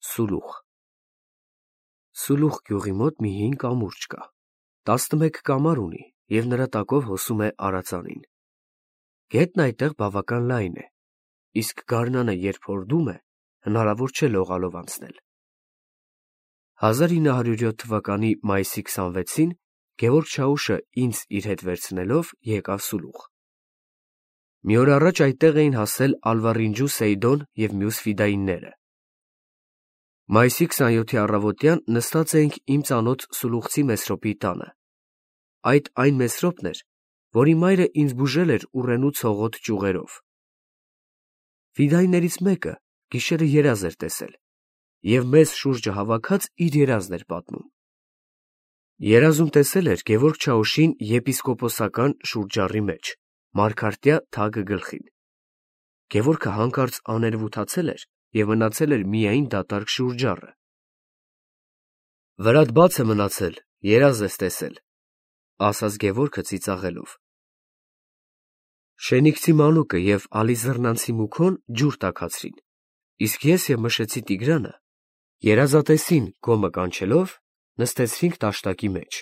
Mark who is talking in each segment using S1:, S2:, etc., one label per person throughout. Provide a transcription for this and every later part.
S1: Սուլուխ Սուլուխ գյուղի մոտ մի հին կամուրջ կա, 11 կամար ունի և նրա տակով հոսում է արածանին։ Գետն այդտեղ բավական լայն է, իսկ գարնանը երբ հորդում է, հնարավոր չէ լողալով անցնել։ 1907 թվականի մայիսի 26-ին Գևորգ Չաուշը ինձ իր հետ վերցնելով եկավ Սուլուխ։ Մի օր առաջ այդտեղ էին հասել Ալվարինջու Սեյդոն և մյուս ֆիդայինները։ Մայիսի 27-ի առավոտյան նստած էինք իմ ծանոթ Սուլուխցի Մեսրոպի տանը։ Այդ այն Մեսրոպն էր, որի մայրը ինձ բուժել էր ուռենու ցողոտ ճյուղերով։ Ֆիդայիներից մեկը գիշերը երազ էր տեսել և մեզ շուրջը հավաքած իր երազն էր պատմում։ Երազում տեսել էր Գևորգ Չաուշին եպիսկոպոսական շուրջառի մեջ, մարգարտյա թագը գլխին։ Գևորգը հանկարծ աներևութացել էր և մնացել էր միայն դատարկ շուրջառը։ «Վրատ բաց է մնացել, երազ ես տեսել», ֊ ասաց Գևորգը ծիծաղելով։ Շենիքցի մանուկը և Ալիզռնանցի Մուքոն ջուր տաքացրին, իսկ ես և Մշեցի Տիգրանը, երազատեսին գոմը կանչելով, նստեցրինք տաշտակի մեջ։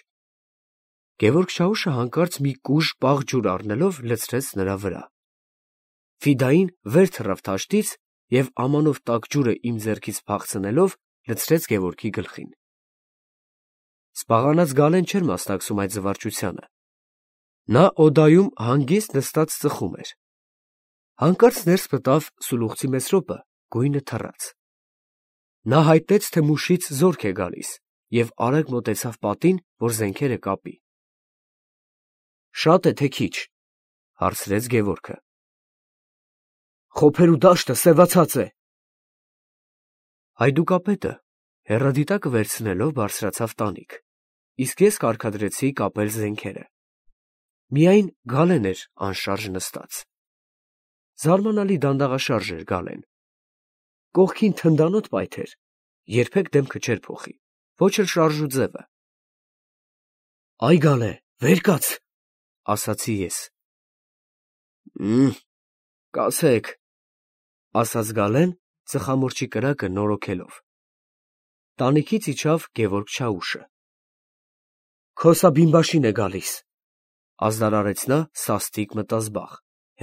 S1: Գևորգ Չաուշը հանկարծ մի կուժ պաղ ջուր առնելով լցրեց նրա վրա։ Ֆիդային վեր թռավ թաշտից և ամանով տաք ջուրը իմ ձեռքից փախցնելով լցրեց Գևորգի գլխին։ Սպաղանած Գալեն չէր մասնակցում այդ զվարճությանը։ Նա օդայում հանգիստ նստած ծխում էր։ Հանկարծ ներս մտավ Սուլուխցի Մեսրոպը գույնը թռած։ Նա հայտնեց, թե մուշից զորք է գալիս, և արագ մոտեցավ պատին, որ զենքերը կապի։ «Շա՞տ է, թե քիչ», ֊ հարցրեց Գևորգը։ «Խոփերու դաշտը սևացած է»։ Հայդուկապետը հեռադիտակը վերցնելով բարձրացավ տանիք, իսկ ես կարգադրեցի կապել զենքերը։ Միայն Գալեն էր անշարժ նստած։ Զարմանալի դանդաղաշարժ էր Գալեն։ Կողքին թնդանոթ պայթեր, երբեք դեմքը չէր փոխի, ոչ էլ շարժու ձևը։ «Այ Գալե, վեր կաց», ֊ ասացի ես։ Կացեք, ֊ ասաց Գալեն, ծխամորճի կրակը նորոգելով։ Տանիքից իջավ Գևորգ Չաուշը։ «Քոսա բիմբաշին է գալիս», ֊ ազդարարեց նա սաստիկ մտազբաղ,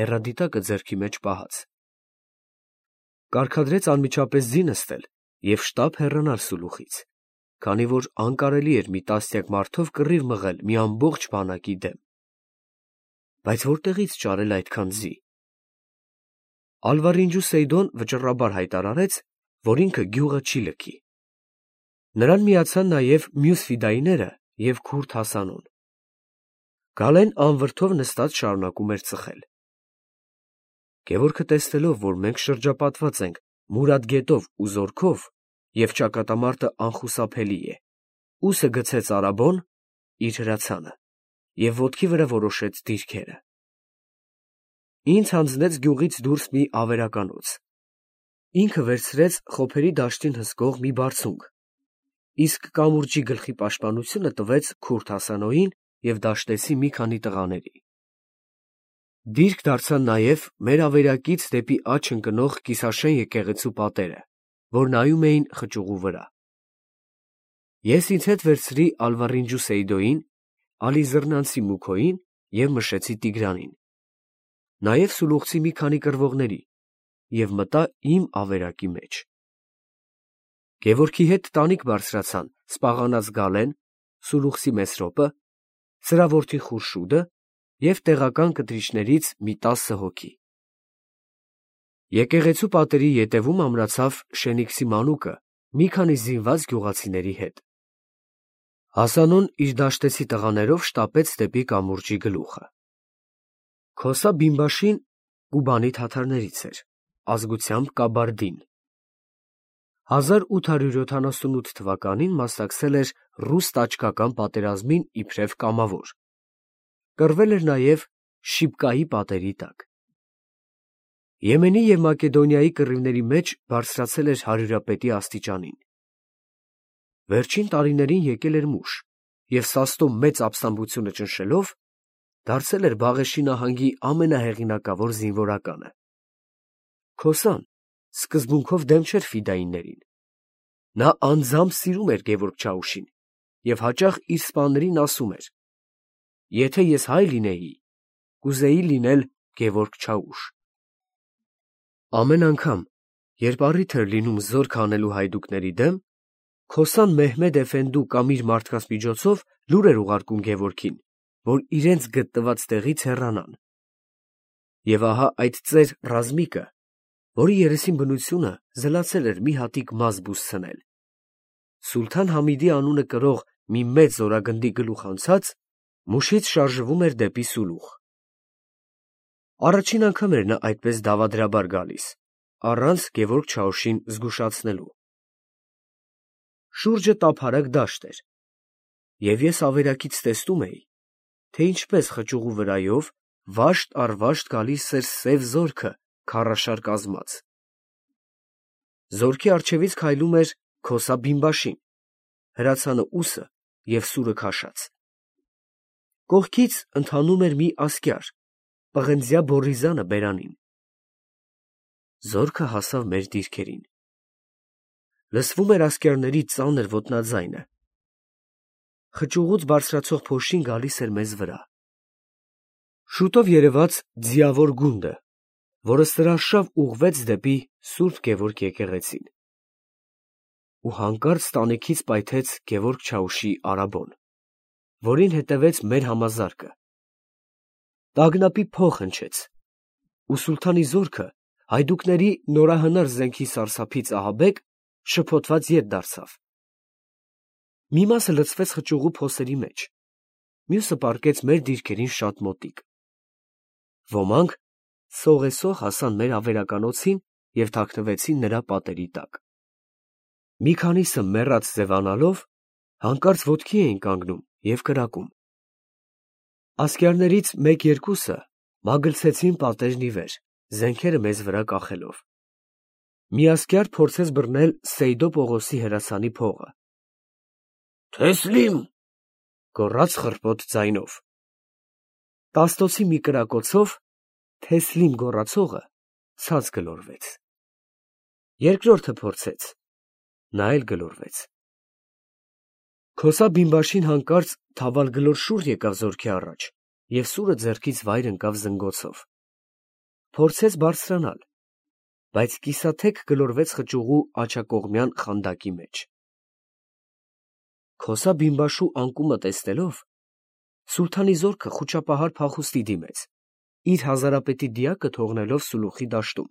S1: հեռադիտակը ձեռքի մեջ պահած։ Կարգադրեց անմիջապես ձի նստել և շտապ հեռանալ Սուլուխից, քանի որ անկարելի էր մի տասնյակ մարդով կռիվ մղել մի ամբողջ բանակի դեմ։ Բայց որտեղի՞ց ճարել այդքան ձի։ Ալվարինջու Սեյդոն վճռաբար հայտարարեց, որ ինքը գյուղը չի լքի։ Նրան միացան նաև մյուս ֆիդայիները և քուրդ Հասանոն։ Գալեն անվրդով նստած շարունակում էր ծխել։ Գևորգը տեսնելով, որ մենք շրջապատված ենք Մուրադ գետով ու զորքով, և ճակատամարտը անխուսափելի է, ուսը գցեց արաբոն իր հրացանը և ոտքի վրա որոշեց դիրքերը։ Ինձ հանձնեց գյուղից դուրս մի ավերականոց։ Ինքը վերցրեց խոփերի դաշտին հսկող մի բարձունք, իսկ կամուրջի գլխի պաշտպանությունը տվեց քուրդ Հասանոյին և դաշտեցի մի քանի տղաների։ Դիրք դարձան նաև մեր ավերակից դեպի աջ ընկնող կիսաշեն եկեղեցու պատերը, որ նայում էին խճուղու վրա։ Ես ինձ հետ վերցրի Ալվարինջու Սեյդոյին, Ալիզռնանցի Մուքոյին և Մշեցի Տիգրանին, նաև Սուլուխցի մի քանի կռվողների և մտա իմ ավերակի մեջ։ Գևորգի հետ տանիք բարձրացան սպաղանած Գալեն, Սուլուխցի Մեսրոպը, սրա որդի Խուրշուդը և տեղական կտրիչներից մի 10 հոգի։ Եկեղեցու պատերի ետևում ամրացավ Շենիքսի մանուկը մի քանի զինված գյուղացիների հետ։ Հասանոն իր դաշտեցի տղաներով շտապեց դեպի կամուրջի գլուխը։ Քոսա Բիմբաշին Կուբանի թաթարներից էր, ազգությամբ կաբարդին։ 1878 թվականին մասնակցել էր ռուս֊տաճկական պատերազմին իբրև կամավոր։ Կռվել էր նաև Շիբկայի պատերի տակ։ Եմենի և Մակեդոնիայի կռիվների մեջ բարձրացել էր հարյուրապետի աստիճանին։ Վերջին տարիներին եկել էր մուշ և սաստո մեծ ապստամբությունը ճնշելով, դարձել էր Բաղեշի նահանգի ամենահեղինակավոր զինվորականը։ Քոսան սկզբունքով դեմ չէր ֆիդայիներին, Նա անձամբ սիրում էր Գևորգ Չաուշին և հաճախ իր սպաներին ասում էր. «Եթե ես հայ լինեի, կուզեի լինել Գևորգ Չաուշ»։ Ամեն անգամ, երբ առիթ էր լինում զորք հանելու հայդուկների դեմ, Քոսան Մեհմեդ էֆենդու կամ իր մարդկանց միջոցով լուր էր ուղարկում Գևորգին, որ իրենց գտնված տեղից հեռանան։ Եվ ահա այդ ծեր ռազմիկը, որի երեսին բնությունը զլացել էր մի հատիկ մազ բուսցնել, Սուլթան Համիդի անունը կրող մի մեծ զորագնդի գլուխ անցած, մուշից շարժվում էր դեպի Սուլուխ։ Առաջին անգամ էր նա այդպես դավադրաբար գալիս, առանց Գևորգ Չաուշին զգուշացնելու։ Շուրջը տափարակ դաշտ էր, և ես ավերակից տեսնում էի, թե ինչպես խճուղու վրայով վաշտ առ վաշտ գալիս էր սև զորքը քարաշար կազմած։ Զորքի առջևից քայլում էր Քոսա Բինբաշին, հրացանը ուսը և սուրը քաշած։ Կողքից ընթանում էր մի ասկյար, պղնձյա Բորիզանը բերանին։ Զորքը հասավ մեր դիրքերին։ Լսվում էր ասկյարների ծանր ոտնաձայնը։ Խճուղուց բարձրացող փոշին գալիս էր մեզ վրա։ Շուտով երևաց ձիավոր գունդը, որը սրաշավ ուղղվեց դեպի Սուրբ Գևորգ եկեղեցին։ Ու հանկարծ տանիքից պայթեց Գևորգ Չաուշի արաբոն, որին հետևեց մեր համազարկը։ Տագնապի փող հնչեց, ու սուլթանի զորքը հայդուկների նորահնար զենքի սարսափից ահաբեկ շփոթված ետ դարձավ։ Մի մասը լցվեց խճուղու փոսերի մեջ, մյուսը պառկեց մեր դիրքերին շատ մոտիկ։ Ոմանք սողեսող հասան մեր ավերականոցին և թաքնվեցին նրա պատերի տակ։ Մի քանիսը մեռած ձևանալով, հանկարծ ոտքի էին կանգնում և կրակում։ Ասկյարներից մեկ-երկուսը մագլցեցին պատերն ի վեր, զենքերը մեզ վրա կախելով։ Մի ասկյար փորձեց բռնել Սեյդո Պողոսի հրացանի փողը։ «Թեսլիմ», գոռաց խռպոտ ձայնով։ Տաստոցի մի կրակոցով «Թեսլիմ» գոռացողը ցած գլորվեց։ Երկրորդը փորձեց, նա էլ գլորվեց։ Քոսա Բինբաշին հանկարծ թավալգլոր շուռ եկավ զորքի առաջ և սուրը ձեռքից վայր ընկավ զնգոցով։ Փորձեց բարձրանալ, բայց կիսաթեք գլորվեց խճուղու աջակողմյան խանդակի մեջ։ Քոսա Բինբաշու անկումը տեսնելով, սուլթանի զորքը խուճապահար փախուստի դիմեց, իր հազարապետի դիակը թողնելով Սուլուխի դաշտում,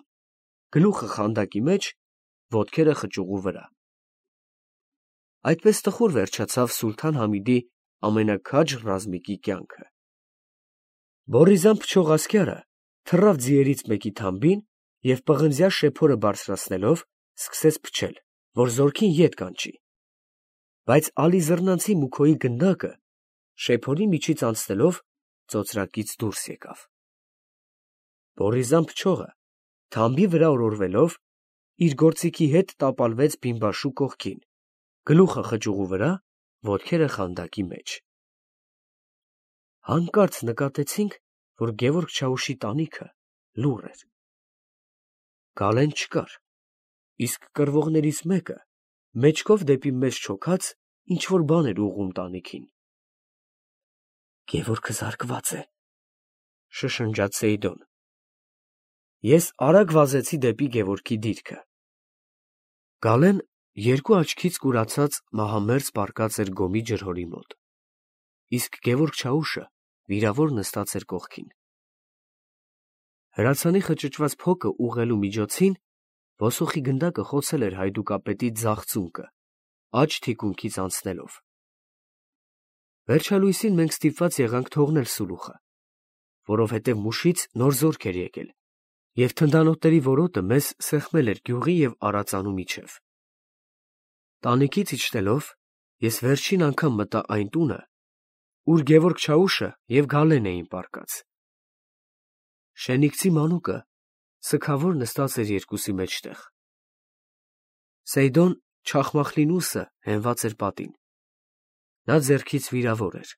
S1: գլուխը խանդակի մեջ, ոտքերը խճուղու վրա։ Այդպես տխուր վերջացավ Սուլթան Համիդի ամենաքաջ ռազմիկի կյանքը։ Բորիզան փչող ասկյարը թռավ ձիերից մեկի թամբին և պղնձյա շեփորը բարձրացնելով սկսեց փչել, որ զորքին ետ կանչի։ Բայց Ալիզռնանցի Մուքոյի գնդակը շեփորի միջից անցնելով ծոծրակից դուրս եկավ։ Բորիզան փչողը թամբի վրա օրորվելով իր գործիքի հետ տապալվեց Բինբաշու կողքին, գլուխը խճուղու վրա, ոտքերը խանդակի մեջ։ Հանկարծ նկատեցինք, որ Գևորգ Չաուշի տանիքը լուռ էր։ Գալեն չկար, իսկ կռվողներից մեկը մեջքով դեպի մեզ չոքած ինչ-որ բան էր ուղղում տանիքին։ «Գևորգը զարկված է», շշնջաց Սեյդոն։ Ես արագ վազեցի դեպի Գևորգի դիրքը։ Գալեն երկու աչքից կուրացած մահամերձ պառկած էր գոմի ջրհորի մոտ, իսկ Գևորգ Չաուշը վիրավոր նստած էր կողքին։ Հրացանի խճճված փոկը ուղղելու միջոցին ոսոխի գնդակը խոցել էր հայդուկապետի ձախ ծունկը, աջ թիկունքից անցնելով։ Վերջալույսին մենք ստիպված եղանք թողնել Սուլուխը, որովհետև մուշից նոր զորք էր եկել, և թնդանոթների որոտը մեզ սեղմել էր գյուղի և արածանու միջև։ Տանիքից իջնելով, ես վերջին անգամ մտա այն տունը, ուր Գևորգ Չաուշը և Գալեն էին պառկած։ Շենիկցի մանուկը սգավոր նստած էր երկուսի մեջտեղ։ Սեյդոն Չախմախլինուսը հենված էր պատին։ Նա ձեռքից վիրավոր էր։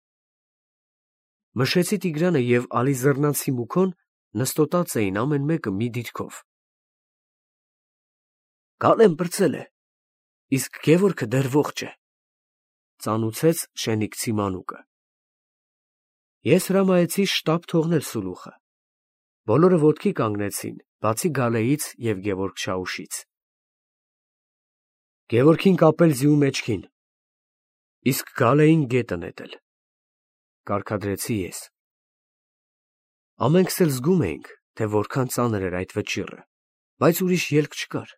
S1: Մշեցի Տիգրանը և Ալիզռնանցի Մուքոն նստոտած էին ամեն մեկը մի դիրքով։ «Գալեն պրծել է, իսկ Գևորգը դեռ ողջ է, ծանուցեց Շենիքցի մանուկը։ Ես հրամայեցի շտապ թողնել Սուլուխը։ Բոլորը ոտքի կանգնեցին, բացի Գալեից և Գևորգ Չաուշից։ Գևորգին կապել ձիու մեջքին, իսկ Գալեին գետը նետել, կարգադրեցի ես։ Ամենքս էլ զգում էինք, թե որքան ծանր էր այդ վճիռը, բայց ուրիշ ելք չկար։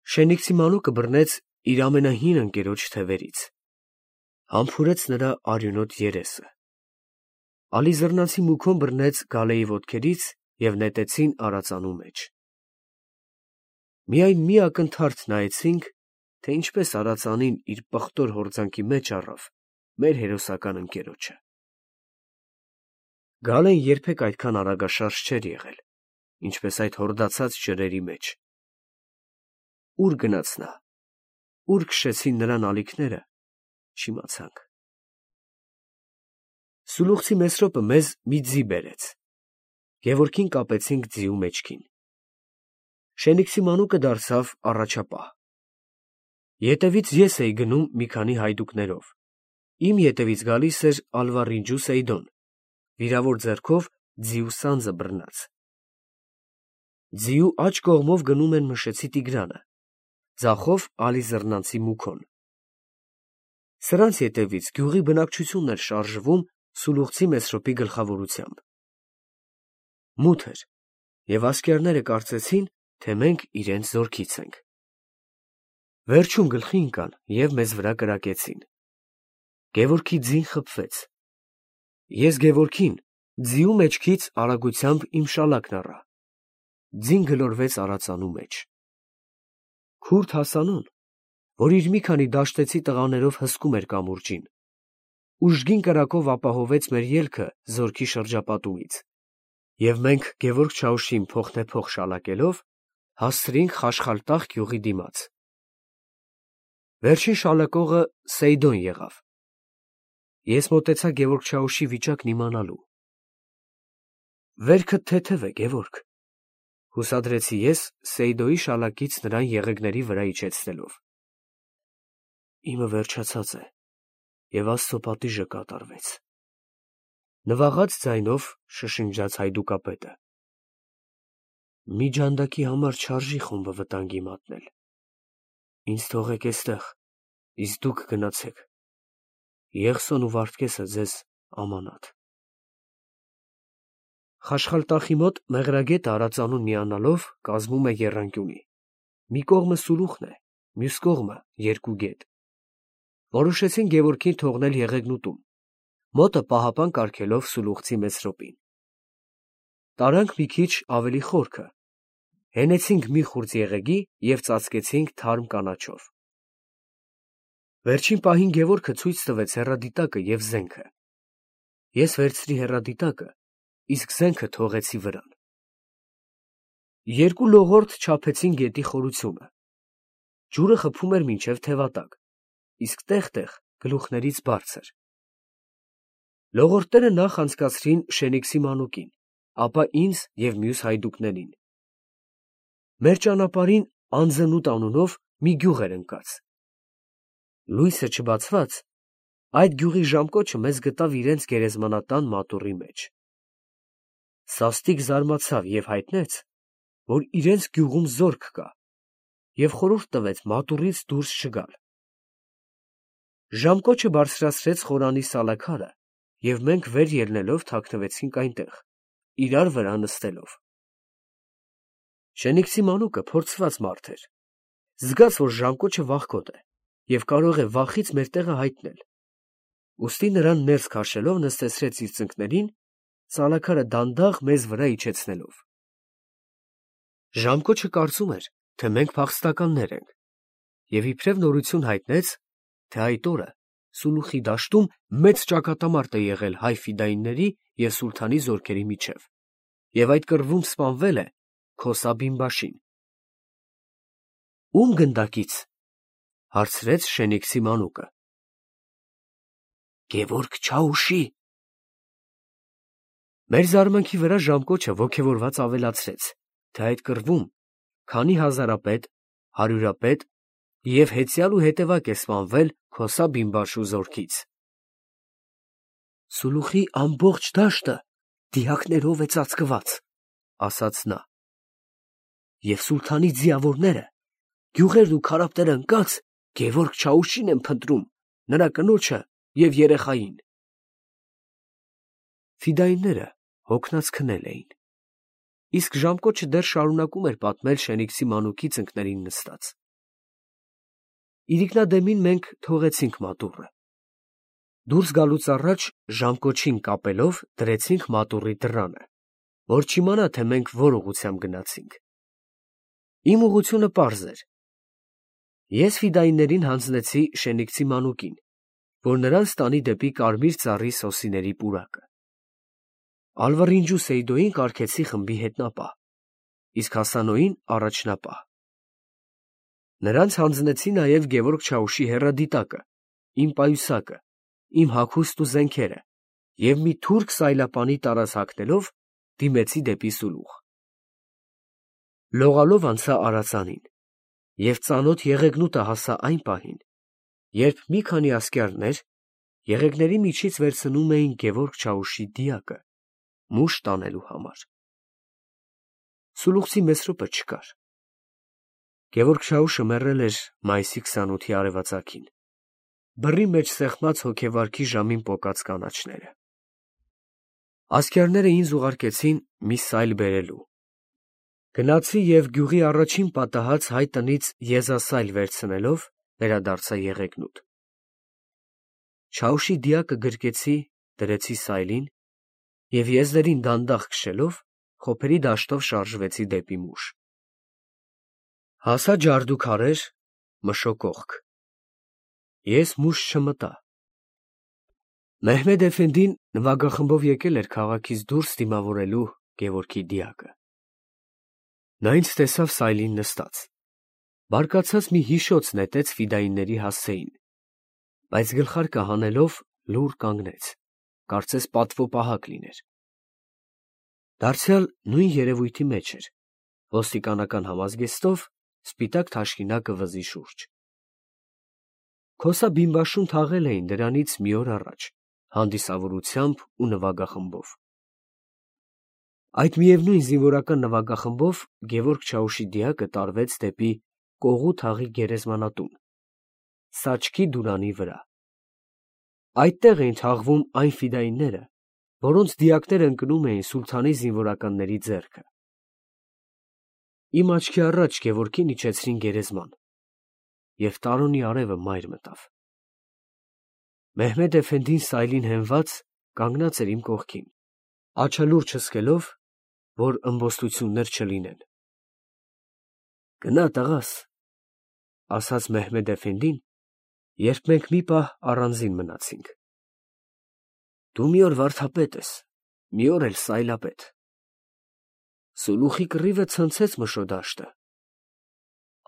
S1: Շենիքցի մանուկը բռնեց իր ամենահին ընկերոջ թևերից, համբուրեց նրա արյունոտ երեսը։ Ալիզռնացի մուքոն բռնեց Գալեի ոտքերից և նետեցին արածանու մեջ։ Միայն մի ակնթարթ նայեցինք, թե ինչպես արածանին իր պղտոր հորձանքի մեջ առավ մեր հերոսական ընկերոջը։ Գալեն երբեք այդքան արագաշարժ չէր եղել, ինչպես այդ հորդացած ջրերի մեջ։ Ուր գնաց նա, ուր քշեցին նրան ալիքները, չիմացանք։ Սուլուխցի Մեսրոպը մեզ մի ձի բերեց։ Գևորգին կապեցինք ձիու մեջքին։ Շենիքցի մանուկը դարձավ առաջապահ։ Ետևից ես էի գնում մի քանի հայդուկներով։ Իմ ետևից գալիս էր Ալվարինջու Սեյդոն, վիրավոր ձեռքով ձիու սանձը բռնած։ Ձիու աջ կողմով գնում են Մշեցի Տիգրանը, ձախով Ալիզռնանցի մուքոն։ Սրանց ետևից գյուղի բնակչությունն էր շարժվում Սուլուխցի Մեսրոպի գլխավորությամբ։ Մութ էր, և ասկերները կարծեցին, թե մենք իրենց զորքից ենք։ Վերջում գլխի ընկան և մեզ վրա կրակեցին։ Գևորգի ձին խփվեց։ Ես Գևորգին ձիու մեջքից արագությամբ իմ շալակն առա։ Ձին գլորվեց արածանու մեջ։ Քուրդ Հասանոն, որ իր մի քանի դաշտեցի տղաներով հսկում էր կամուրջին, ուժգին կրակով ապահովեց մեր ելքը զորքի շրջապատումից, և մենք Գևորգ Չաուշին փոխնեպոխ շալակելով հասցրինք Խաշխալտախ գյուղի դիմաց։ Վերջին շալակողը Սեյդոն եղավ։ Ես մոտեցա Գևորգ Չաուշի վիճակն իմանալու։ «Վերքդ թեթև է, Գևորգ», հուսադրեցի ես Սեյդոյի շալակից նրան եղեգների վրա իջեցնելով։ «Իմը վերջացած է, և Աստծո պատիժը կատարվեց», նվաղած ձայնով շշնջաց հայդուկապետը։ «Մի ջանդակի համար չարժի խումբը վտանգի մատնել։ Ինձ թողեք էստեղ, իսկ դուք գնացեք։ Եղսոն ու Վարդգեսը ձեզ ամանատ»։ Խաշխալտախի մոտ Մեղրագետը արածանուն միանալով կազմում է եռանկյունի։ Մի կողմը Սուլուխն է, մյուս կողմը երկու գետ։ Որոշեցին Գևորգին թողնել Եղեգնուտում, մոտը պահապան կարգելով Սուլուխցի Մեսրոպին։ Տարանք մի քիչ ավելի խորքը, հենեցինք մի խուրձ եղեգի և ծածկեցինք թարմ կանաչով։ Վերջին պահին Գևորգը ցույց տվեց հեռադիտակը և զենքը։ Ես վերցրի հեռադիտակը, իսկ զենքը թողեցի վրան։ Երկու լողորդ չափեցին գետի խորությունը։ Ջուրը խփում էր մինչև թևատակ, իսկ տեղ-տեղ գլուխներից բարձր։ Լողորդները նախ անցկացրին Շենիքսի մանուկին, ապա ինձ և մյուս հայդուկներին։ Մեր ճանապարհին Անձնուտ անունով մի գյուղ էր ընկած։ Լույսը չբացված, այդ գյուղի ժամկոչը մեզ գտավ իրենց գերեզմանատան մատուռի մեջ։ Սաստիկ զարմացավ և հայտնեց, որ իրենց գյուղում զորք կա, և խորհուրդ տվեց մատուռից դուրս չգալ։ Ժամկոչը բարձրացրեց խորանի սալաքարը, և մենք վեր ելնելով թաքնվեցինք այնտեղ, իրար վրա նստելով։ Շենիքսի մանուկը փորձված մարդ էր, զգաց, որ ժամկոչը վախկոտ է և կարող է վախից մեր տեղը հայտնել, ուստի նրան ներս քաշելով նստեցրեց իր ծնկներին, սալաքարը դանդաղ մեզ վրա իջեցնելով։ Ժամկոչը կարծում էր, թե մենք փախստականներ ենք, և իբրև նորություն հայտնեց, թե այդ օրը Սուլուխի դաշտում մեծ ճակատամարտ է եղել հայ ֆիդայինների և սուլթանի զորքերի միջև, և այդ կռվում սպանվել է Քոսա Բինբաշին։ «Ո՞ւմ գնդակից», հարցրեց Շենիքսի մանուկը։ «Գևորգ Չաուշի»։ Մեր զարմանքի վրա ժամկոչը ոգևորված ավելացրեց, թե այդ կռվում քանի հազարապետ, հարյուրապետ և հեծյալ ու հետևակ է սպանվել Քոսա բիմբաշու զորքից։ Սուլուխի ամբողջ դաշտը դիակներով է ծածկված, ասաց նա, և սուլթանի ձիավորները, գյուղերն ու քարապները ընկած, Գևորգ Չաուշին են փնտրում, նրա կնոջը և երեխային։ Ֆիդայինները հոգնած քնել էին, իսկ ժամկոչը դեռ շարունակում էր պատմել Շենիքսի մանուկի ծնկներին նստած։ Իրիկնադեմին մենք թողեցինք մատուռը։ Դուրս գալուց առաջ ժամկոչին կապելով դրեցինք մատուռի դռանը, որ չիմանա, թե մենք որ ուղղությամբ գնացինք։ Իմ ուղղությունը պարզ էր։ Ես ֆիդայիններին հանձնեցի Շենիքսի մանուկին, որ նրան ստանի դեպի կարմիր ծառի սոսիների պուրակը։ Ալվռինջու Սեյդոյին կարգեցի խմբի հետնապահ, իսկ Հասանոյին առաջնապահ։ Նրանց հանձնեցի նաև Գևորգ Չաուշի հեռադիտակը, իմ պայուսակը, իմ հագուստն ու զենքերը և մի թուրք սայլապանի տարազ հագնելով դիմեցի դեպի Սուլուխ։ Լողալով անցա Արածանին և ծանոթ եղեգնուտը հասա այն պահին, երբ մի քանի ասկյարներ եղեգների միջից վերցնում էին Գևորգ Չաուշի դիակը մուշ տանելու համար։ Սուլուխցի Մեսրոպը չկար։ Գևորգ Չաուշը մեռել էր մայիսի 28-ի արևածագին, բռի մեջ սեղմած հոգեվարքի ժամին պոկած կանաչները։ Ասկյարները ինձ ուղարկեցին մի սայլ բերելու։ Գնացի և գյուղի առաջին պատահած հայ տնից եզասայլ վերցնելով վերադարձա եղեգնուտ։ Չաուշի դիակը գրկեցի, դրեցի սայլին և եզրերին դանդաղ քշելով խոփերի դաշտով շարժվեցի դեպի մուշ։ Հասա ջարդուքարեր, մշոկողք։ Ես մուշ չմտա։ Մեհմեդ էֆենդին նվագախմբով եկել էր քաղաքից դուրս դիմավորելու Գևորգի դիակը։ Նա ինձ տեսավ սայլին նստած։ Բարկացած մի հիշոց նետեց ֆիդայինների հասցեին, բայց գլխարկը հանելով լուռ կանգնեց, կարծես պատվոպահակ լիներ։ Դարձյալ նույն երևույթի մեջ էր, ոստիկանական համազգեստով, սպիտակ թաշկինակը վզի շուրջ։ Քոսա բիմբաշուն թաղել էին դրանից մի օր առաջ, հանդիսավորությամբ ու նվագախմբով։ Այդ միևնույն զինվորական նվագախմբով Գևորգ Չաուշի դիակը տարվեց դեպի Կողու թաղի գերեզմանատուն, Սաչքի դուրանի վրա։ Այդտեղ էին թաղվում այն ֆիդայինները, որոնց դիակները ընկնում էին սուլթանի զինվորականների ձեռքը։ Իմ աչքի առաջ Գևորգին իջեցրին գերեզման, և տարոնի արևը մայր մտավ։ Մեհմեդ էֆենդին սայլին հենված կանգնած էր իմ կողքին, աջը լուրջ հսկելով, որ ըմբոստություններ չլինեն։ «Գնա, տղաս», ասաց Մեհմեդ էֆենդին, երբ մենք մի պահ առանձին մնացինք։ «Դու մի օր վարդապետ ես, մի օր էլ սայլապետ։ Սուլուխի կռիվը ցնցեց Մշոդաշտը։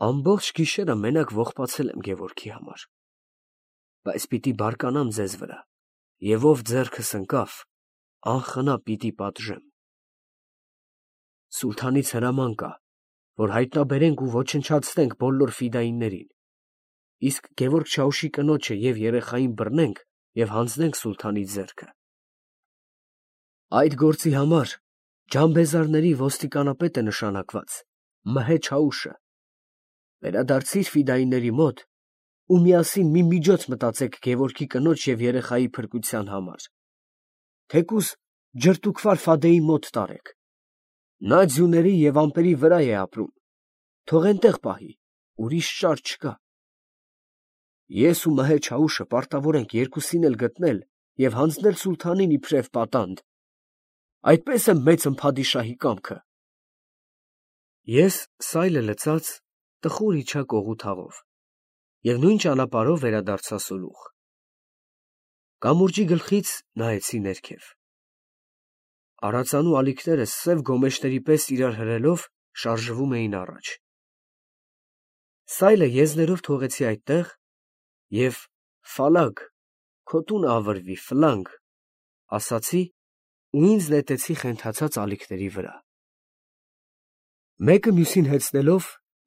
S1: Ամբողջ գիշերը մենակ ողբացել եմ Գևորգի համար, բայց պիտի բարկանամ ձեզ վրա, և ով ձեռքս ընկավ, անխնա պիտի պատժեմ։ Սուլթանից հրաման կա, որ հայտնաբերենք ու ոչնչացնենք բոլոր ֆիդայիններին, իսկ Գևորգ Չաուշի կնոջը և երեխային բռնենք և հանձնենք սուլթանի ձեռքը։ Այդ գործի համար ջանբեզարների ոստիկանապետ է նշանակված Մհե Չաուշը։ Վերադարձիր ֆիդայինների մոտ ու միասին մի միջոց մտածեք Գևորգի կնոջ և երեխայի փրկության համար։ Թեկուզ ջրտուքվար Ֆադեի մոտ տարեք։ Նա ձյուների և ամպերի վրա է ապրում, թող էնտեղ պահի, ուրիշ ճար չկա։ Ես ու Մհե Չաուշը պարտավոր ենք երկուսին էլ գտնել և հանձնել սուլթանին իբրև պատանդ։ Այդպես է մեծն փադիշահի կամքը։ Ես սայլը լցած տխուր իջա Կողու թաղով և նույն ճանապարհով վերադարձա Սուլուխ։ Կամուրջի գլխից նայեցի ներքև։ Արածանու ալիքները սև գոմեշների պես իրար հրելով շարժվում էին առաջ։ Սայլը եզներով թողեցի այդտեղ և «Ֆալագ, քո տունը ավրվի, Ֆլանգ» ասացի ու ինձ նետեցի խենթացած ալիքների վրա։ Մեկը մյուսին հեծնելով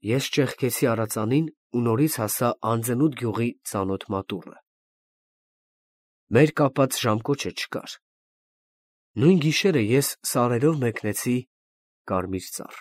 S1: ես ճեղքեցի արածանին ու նորից հասա անծնոտ գյուղի ծանոթ մատուռը։ Մեր կապած ժամկոչը չկար։ Նույն գիշերը ես սարերով մեկնեցի Կարմիր Ծառ։